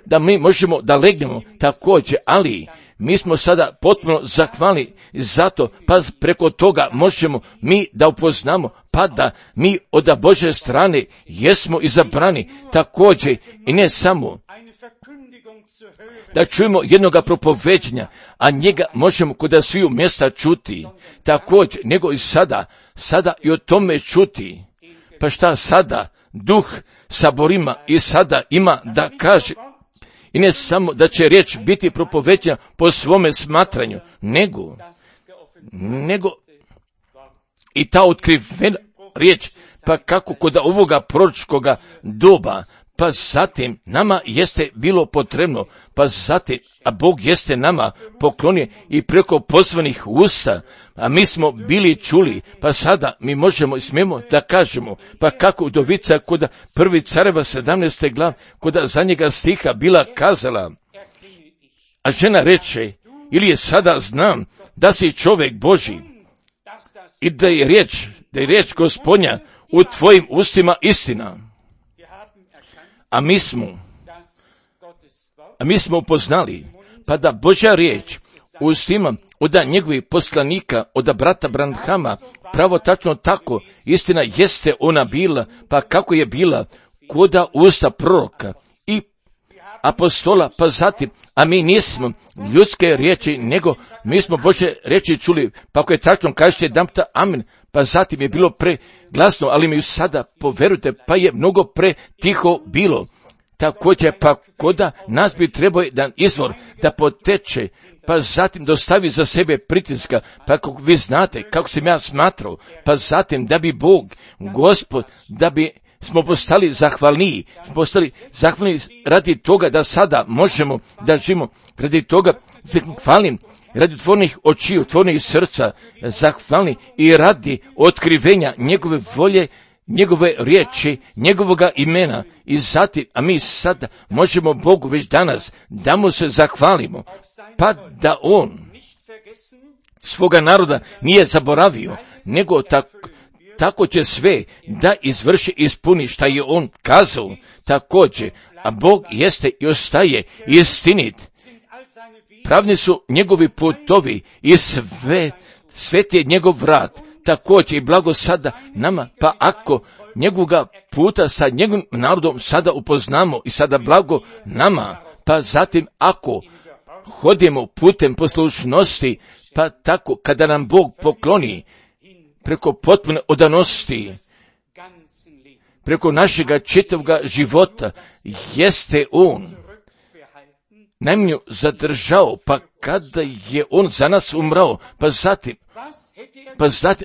da mi možemo da legnemo također, ali mi smo sada potpuno zahvalni zato, pa preko toga možemo mi da upoznamo, pa da mi od Božje strane jesmo izabrani također i ne samo da čujemo jednoga propoveđenja, a njega možemo kod sviju mjesta čuti, također, nego i sada i o tome čuti. Pa šta sada Duh saborima i sada ima da kaže, i ne samo da će riječ biti propoveđena po svome smatranju, nego i ta otkrivena riječ, pa kako kod ovoga proročkoga doba, pa zatim nama jeste bilo potrebno, pa zatim, a Bog jeste nama poklonio i preko pozvanih usta, a mi smo bili čuli, pa sada mi možemo i smijemo da kažemo, pa kako udovica kod prvi Careva 17. glav, kod zadnjega stiha bila kazala, a žena reče, ili je sada znam da si čovjek Božji i da je riječ Gospodnja u tvojim ustima istina. A mi smo upoznali, pa da Božja riječ u ustima od njegovih poslanika, od brata Branhama, pravo tačno tako, istina jeste ona bila, pa kako je bila koda usta proroka i apostola, pa zatim, a mi nismo ljudske riječi, nego mi smo Božje riječi čuli, pa ako je tačno kažete damta amen, pa zatim je bilo preglasno, ali mi sada poverujte, pa je mnogo pretiho bilo. Također, pa koda nas bi trebao jedan izvor da poteče, pa zatim dostavi za sebe pritiska, pa kako vi znate, kako sam ja smatrao, pa zatim da bi Bog, Gospod, da bi smo postali zahvalniji, radi toga da sada možemo da živimo, radi toga zahvalim, radi tvornih očiju, tvornih srca, zahvalni i radi otkrivenja njegove volje, njegove riječi, njegovoga imena i zatim, a mi sada možemo Bogu već danas da mu se zahvalimo, pa da on svoga naroda nije zaboravio, nego tako će sve da izvrši, ispuni šta je on kazao, također, a Bog jeste i ostaje istinit. Pravni su njegovi putovi i svet je njegov vrat, također i blago sada nama, pa ako njegovoga puta sa njegovim narodom sada upoznamo i sada blago nama, pa zatim ako hodimo putem poslušnosti, pa tako kada nam Bog pokloni preko potpune odanosti, preko našega čitavoga života, jeste on najmanju zadržao, pa kada je on za nas umrao, pa zatim,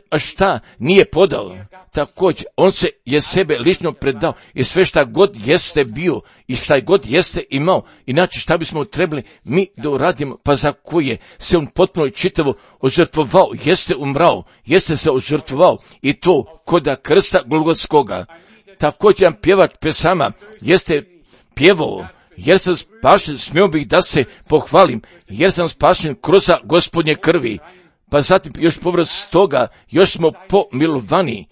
a šta nije podao? Također, on je sebe lično predao i sve šta god jeste bio i šta god jeste imao, inače šta bismo trebali mi da uradimo, pa za koje se on potpuno i čitavo ožrtvovao, jeste umrao, jeste se ožrtvovao i to koda krsta Golgotskoga. Također jedan pjevač pesama jeste pjevao, jer sam spašen, smio bih da se pohvalim, jer sam spašen kroz Gospodnje krvi. Pa zatim još povrat toga, još smo pomilovani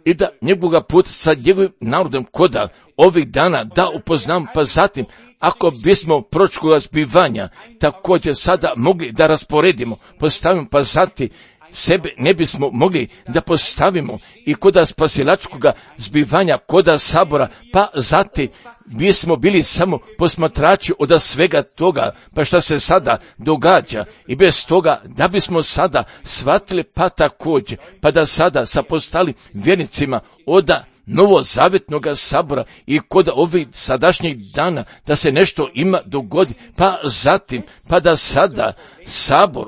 i da njegovoga puta sa njegovim narodom koda ovih dana da upoznam, pa zatim ako bismo proročkoga zbivanja također sada mogli da rasporedimo, postavimo, pa zatim sebe ne bismo mogli da postavimo i koda spasilačkoga zbivanja, koda sabora, pa zatim bismo bili samo posmatrači od svega toga, pa šta se sada događa i bez toga da bismo sada shvatili, pa također, pa da sada sa postali vjernicima od novozavjetnoga sabora i kod ovih sadašnjih dana da se nešto ima dogodi, pa zatim, pa da sada sabor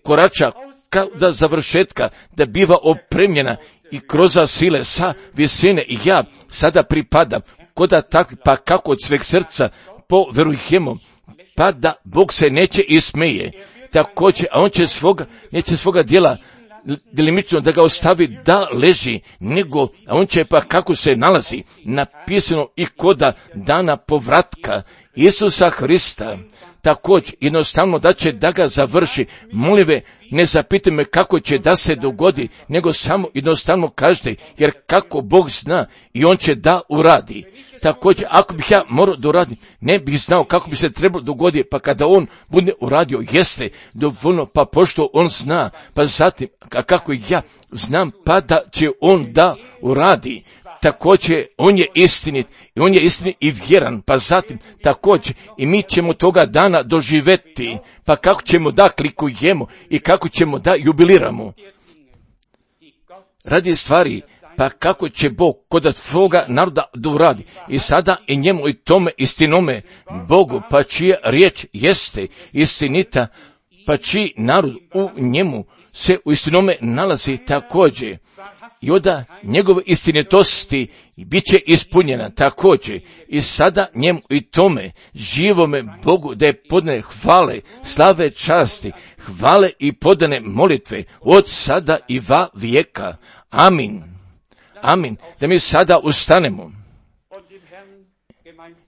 korača kao da završetka, da biva opremljena i kroz sile sa visine i ja sada pripadam koda tak, pa kako od sveg srca poverujemo, pa da Bog se neće ismeje, također, a on će neće svoga djela delimično da ga ostavi da leži, nego, a on će pa kako se nalazi napisano i koda dana povratka Isusa Hrista, također jednostavno da će da ga završi. Molim, ne zapitaj me kako će da se dogodi, nego samo jednostavno kažete, jer kako Bog zna i On će da uradi. Također, ako bih ja morao da uradim, ne bih znao kako bi se trebalo dogoditi, pa kada On bude uradio, jeste dovoljno, pa pošto On zna, pa zatim, a kako ja znam, pa da će On da uradi. Također, On je istinit i On je istinit i vjeran, pa zatim također i mi ćemo toga dana doživjeti, pa kako ćemo da klikujemo i kako ćemo da jubiliramo. Radi stvari, pa kako će Bog kod svoga naroda da uradi i sada i njemu i tome istinome Bogu, pa čija riječ jeste istinita, pa čiji narod u njemu se u istinome nalazi također. I onda njegove istinitosti bit će ispunjena također. I sada njemu i tome živome Bogu da je podane hvale, slave, časti, hvale i podane molitve od sada i va vijeka. Amin. Amin. Da mi sada ustanemo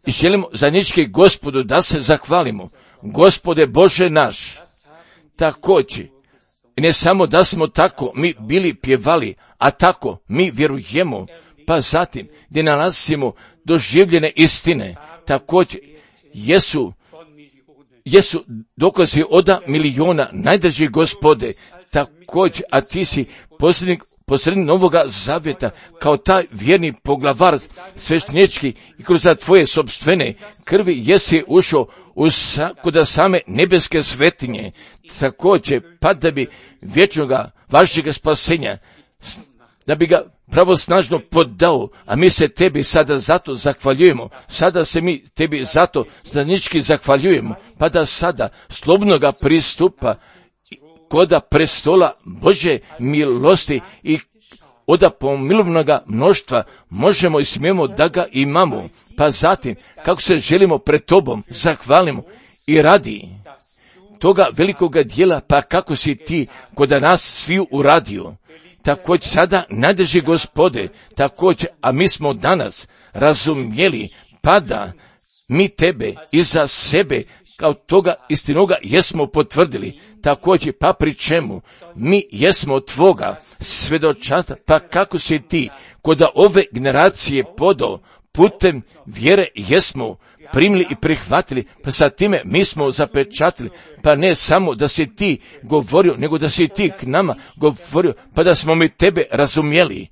i želimo zajednički Gospodu da se zahvalimo. Gospode Bože naš, također, i ne samo da smo tako mi bili pjevali, a tako mi vjerujemo, pa zatim gdje nalazimo doživljene istine, također jesu dokazi od miliona, najdrži Gospode, također, a ti si posrednik Novoga Zavjeta, kao taj vjerni poglavar sveštenički i kroz tvoje sopstvene krvi jesi ušao kod same nebeske svetinje, također, pa da bi vječnoga vašega spasenja, da bi ga pravosnažno podao, a mi se tebi sada zato zahvaljujemo, sada se mi tebi zato zajednički zahvaljujemo, pa da sada slobodnoga pristupa koda prestola Bože milosti i od pomilovnoga mnoštva možemo i smijemo da ga imamo, pa zatim kako se želimo pred tobom zahvalimo i radi toga velikoga dijela, pa kako si ti kod nas sviju uradio. Također sada nadrži Gospode, također, a mi smo danas razumjeli, pa da mi tebe iza sebe kao toga istinoga jesmo potvrdili, također pa pri čemu mi jesmo tvoga svedočata, pa kako si ti kod ove generacije podao putem vjere jesmo primili i prihvatili, pa sa time mi smo zapečatili, pa ne samo da si ti govorio, nego da si ti k nama govorio, pa da smo mi tebe razumjeli.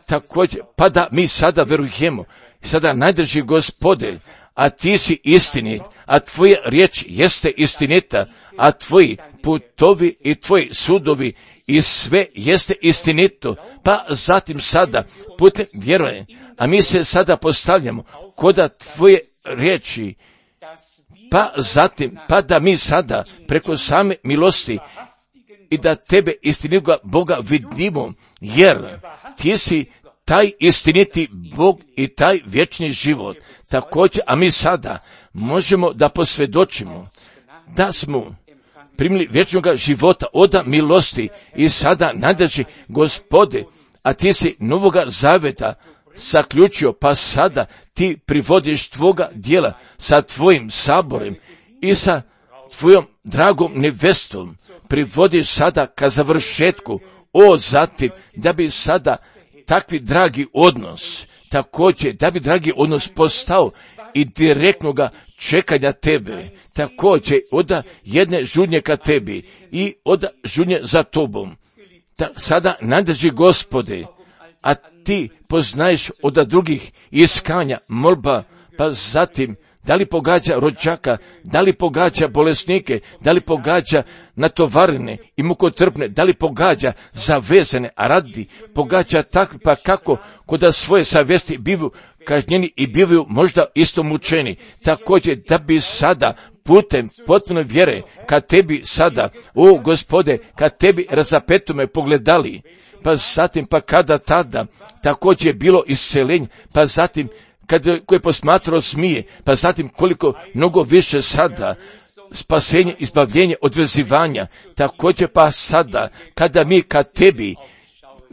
Također, pa da mi sada verujemo, sada najdrži Gospode, a ti si istinit, a tvoja riječ jeste istinita, a tvoji putovi i tvoji sudovi i sve jeste istinito, pa zatim sada putem vjeruje, a mi se sada postavljamo koda tvoje riječi, pa zatim, pa da mi sada preko same milosti i da tebe istinitoga Boga vidimo, jer ti si taj istiniti Bog i taj vječni život. Također, a mi sada možemo da posvjedočimo da smo primili vječnog života od milosti i sada nadrži Gospode, a ti si Novoga Zavjeta zaključio, pa sada ti privodiš tvoga djela sa tvojim saborem i sa tvojom dragom nevestom, privodiš sada ka završetku, zatim da bi sada takvi dragi odnos, također da bi dragi odnos postao i direktnoga čekanja tebe, također od jedne žudnje ka tebi i od žudnje za tobom. Sada nadrži Gospode, a ti poznaješ od drugih iskanja, molba, pa zatim da li pogađa rođaka, da li pogađa bolesnike, da li pogađa natovarene i mukotrpne, da li pogađa zavezane, a radi pogađa takvi, pa kako kod svoje savjesti bivaju kažnjeni i bivaju možda isto mučeni. Također da bi sada putem potpuno vjere kad tebi sada, Gospode, kad tebi razapetume pogledali, pa zatim pa kada tada također je bilo isceljenje, pa zatim koje posmatrao smije, pa zatim koliko mnogo više sada spasenje, izbavljenje, odvezivanja, također pa sada kada mi kad tebi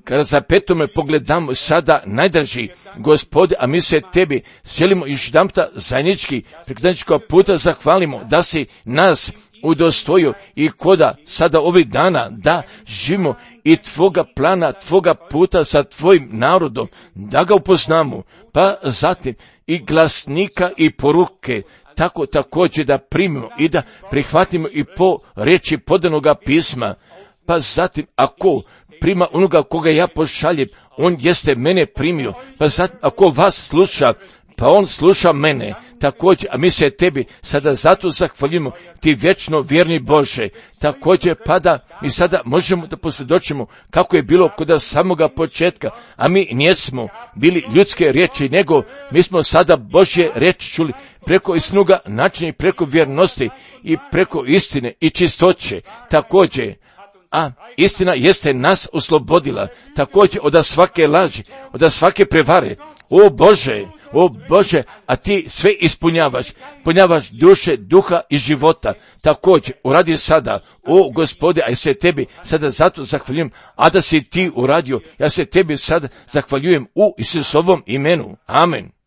kada za petome pogledamo sada najdraži Gospode, a mi se tebi želimo još jedanputa zajednički preko puta zahvalimo da si nas udostojio i koda sada ovih dana da živimo i tvoga plana, tvoga puta sa tvojim narodom, da ga upoznamo, pa zatim i glasnika i poruke, tako također da primimo i da prihvatimo i po reči podanoga pisma, pa zatim ako prima onoga koga ja pošaljem, on jeste mene primio, pa zatim ako vas sluša, pa on sluša mene također, a mi se tebi sada zato zahvaljujemo, ti vječno vjerni Bože, također pada i sada možemo da posvjedočimo kako je bilo kod samoga početka, a mi nismo bili ljudske riječi, nego mi smo sada Božje riječi čuli preko istinoga načina i preko vjernosti i preko istine i čistoće, također. A istina jeste nas oslobodila, također od svake laži, od svake prevare. O Bože, a ti sve ispunjavaš duše, duha i života. Također, uradi sada, o Gospode, a ja se tebi sada zato zahvaljujem, a da si ti uradio, ja se tebi sada zahvaljujem u Isusovom imenu. Amen.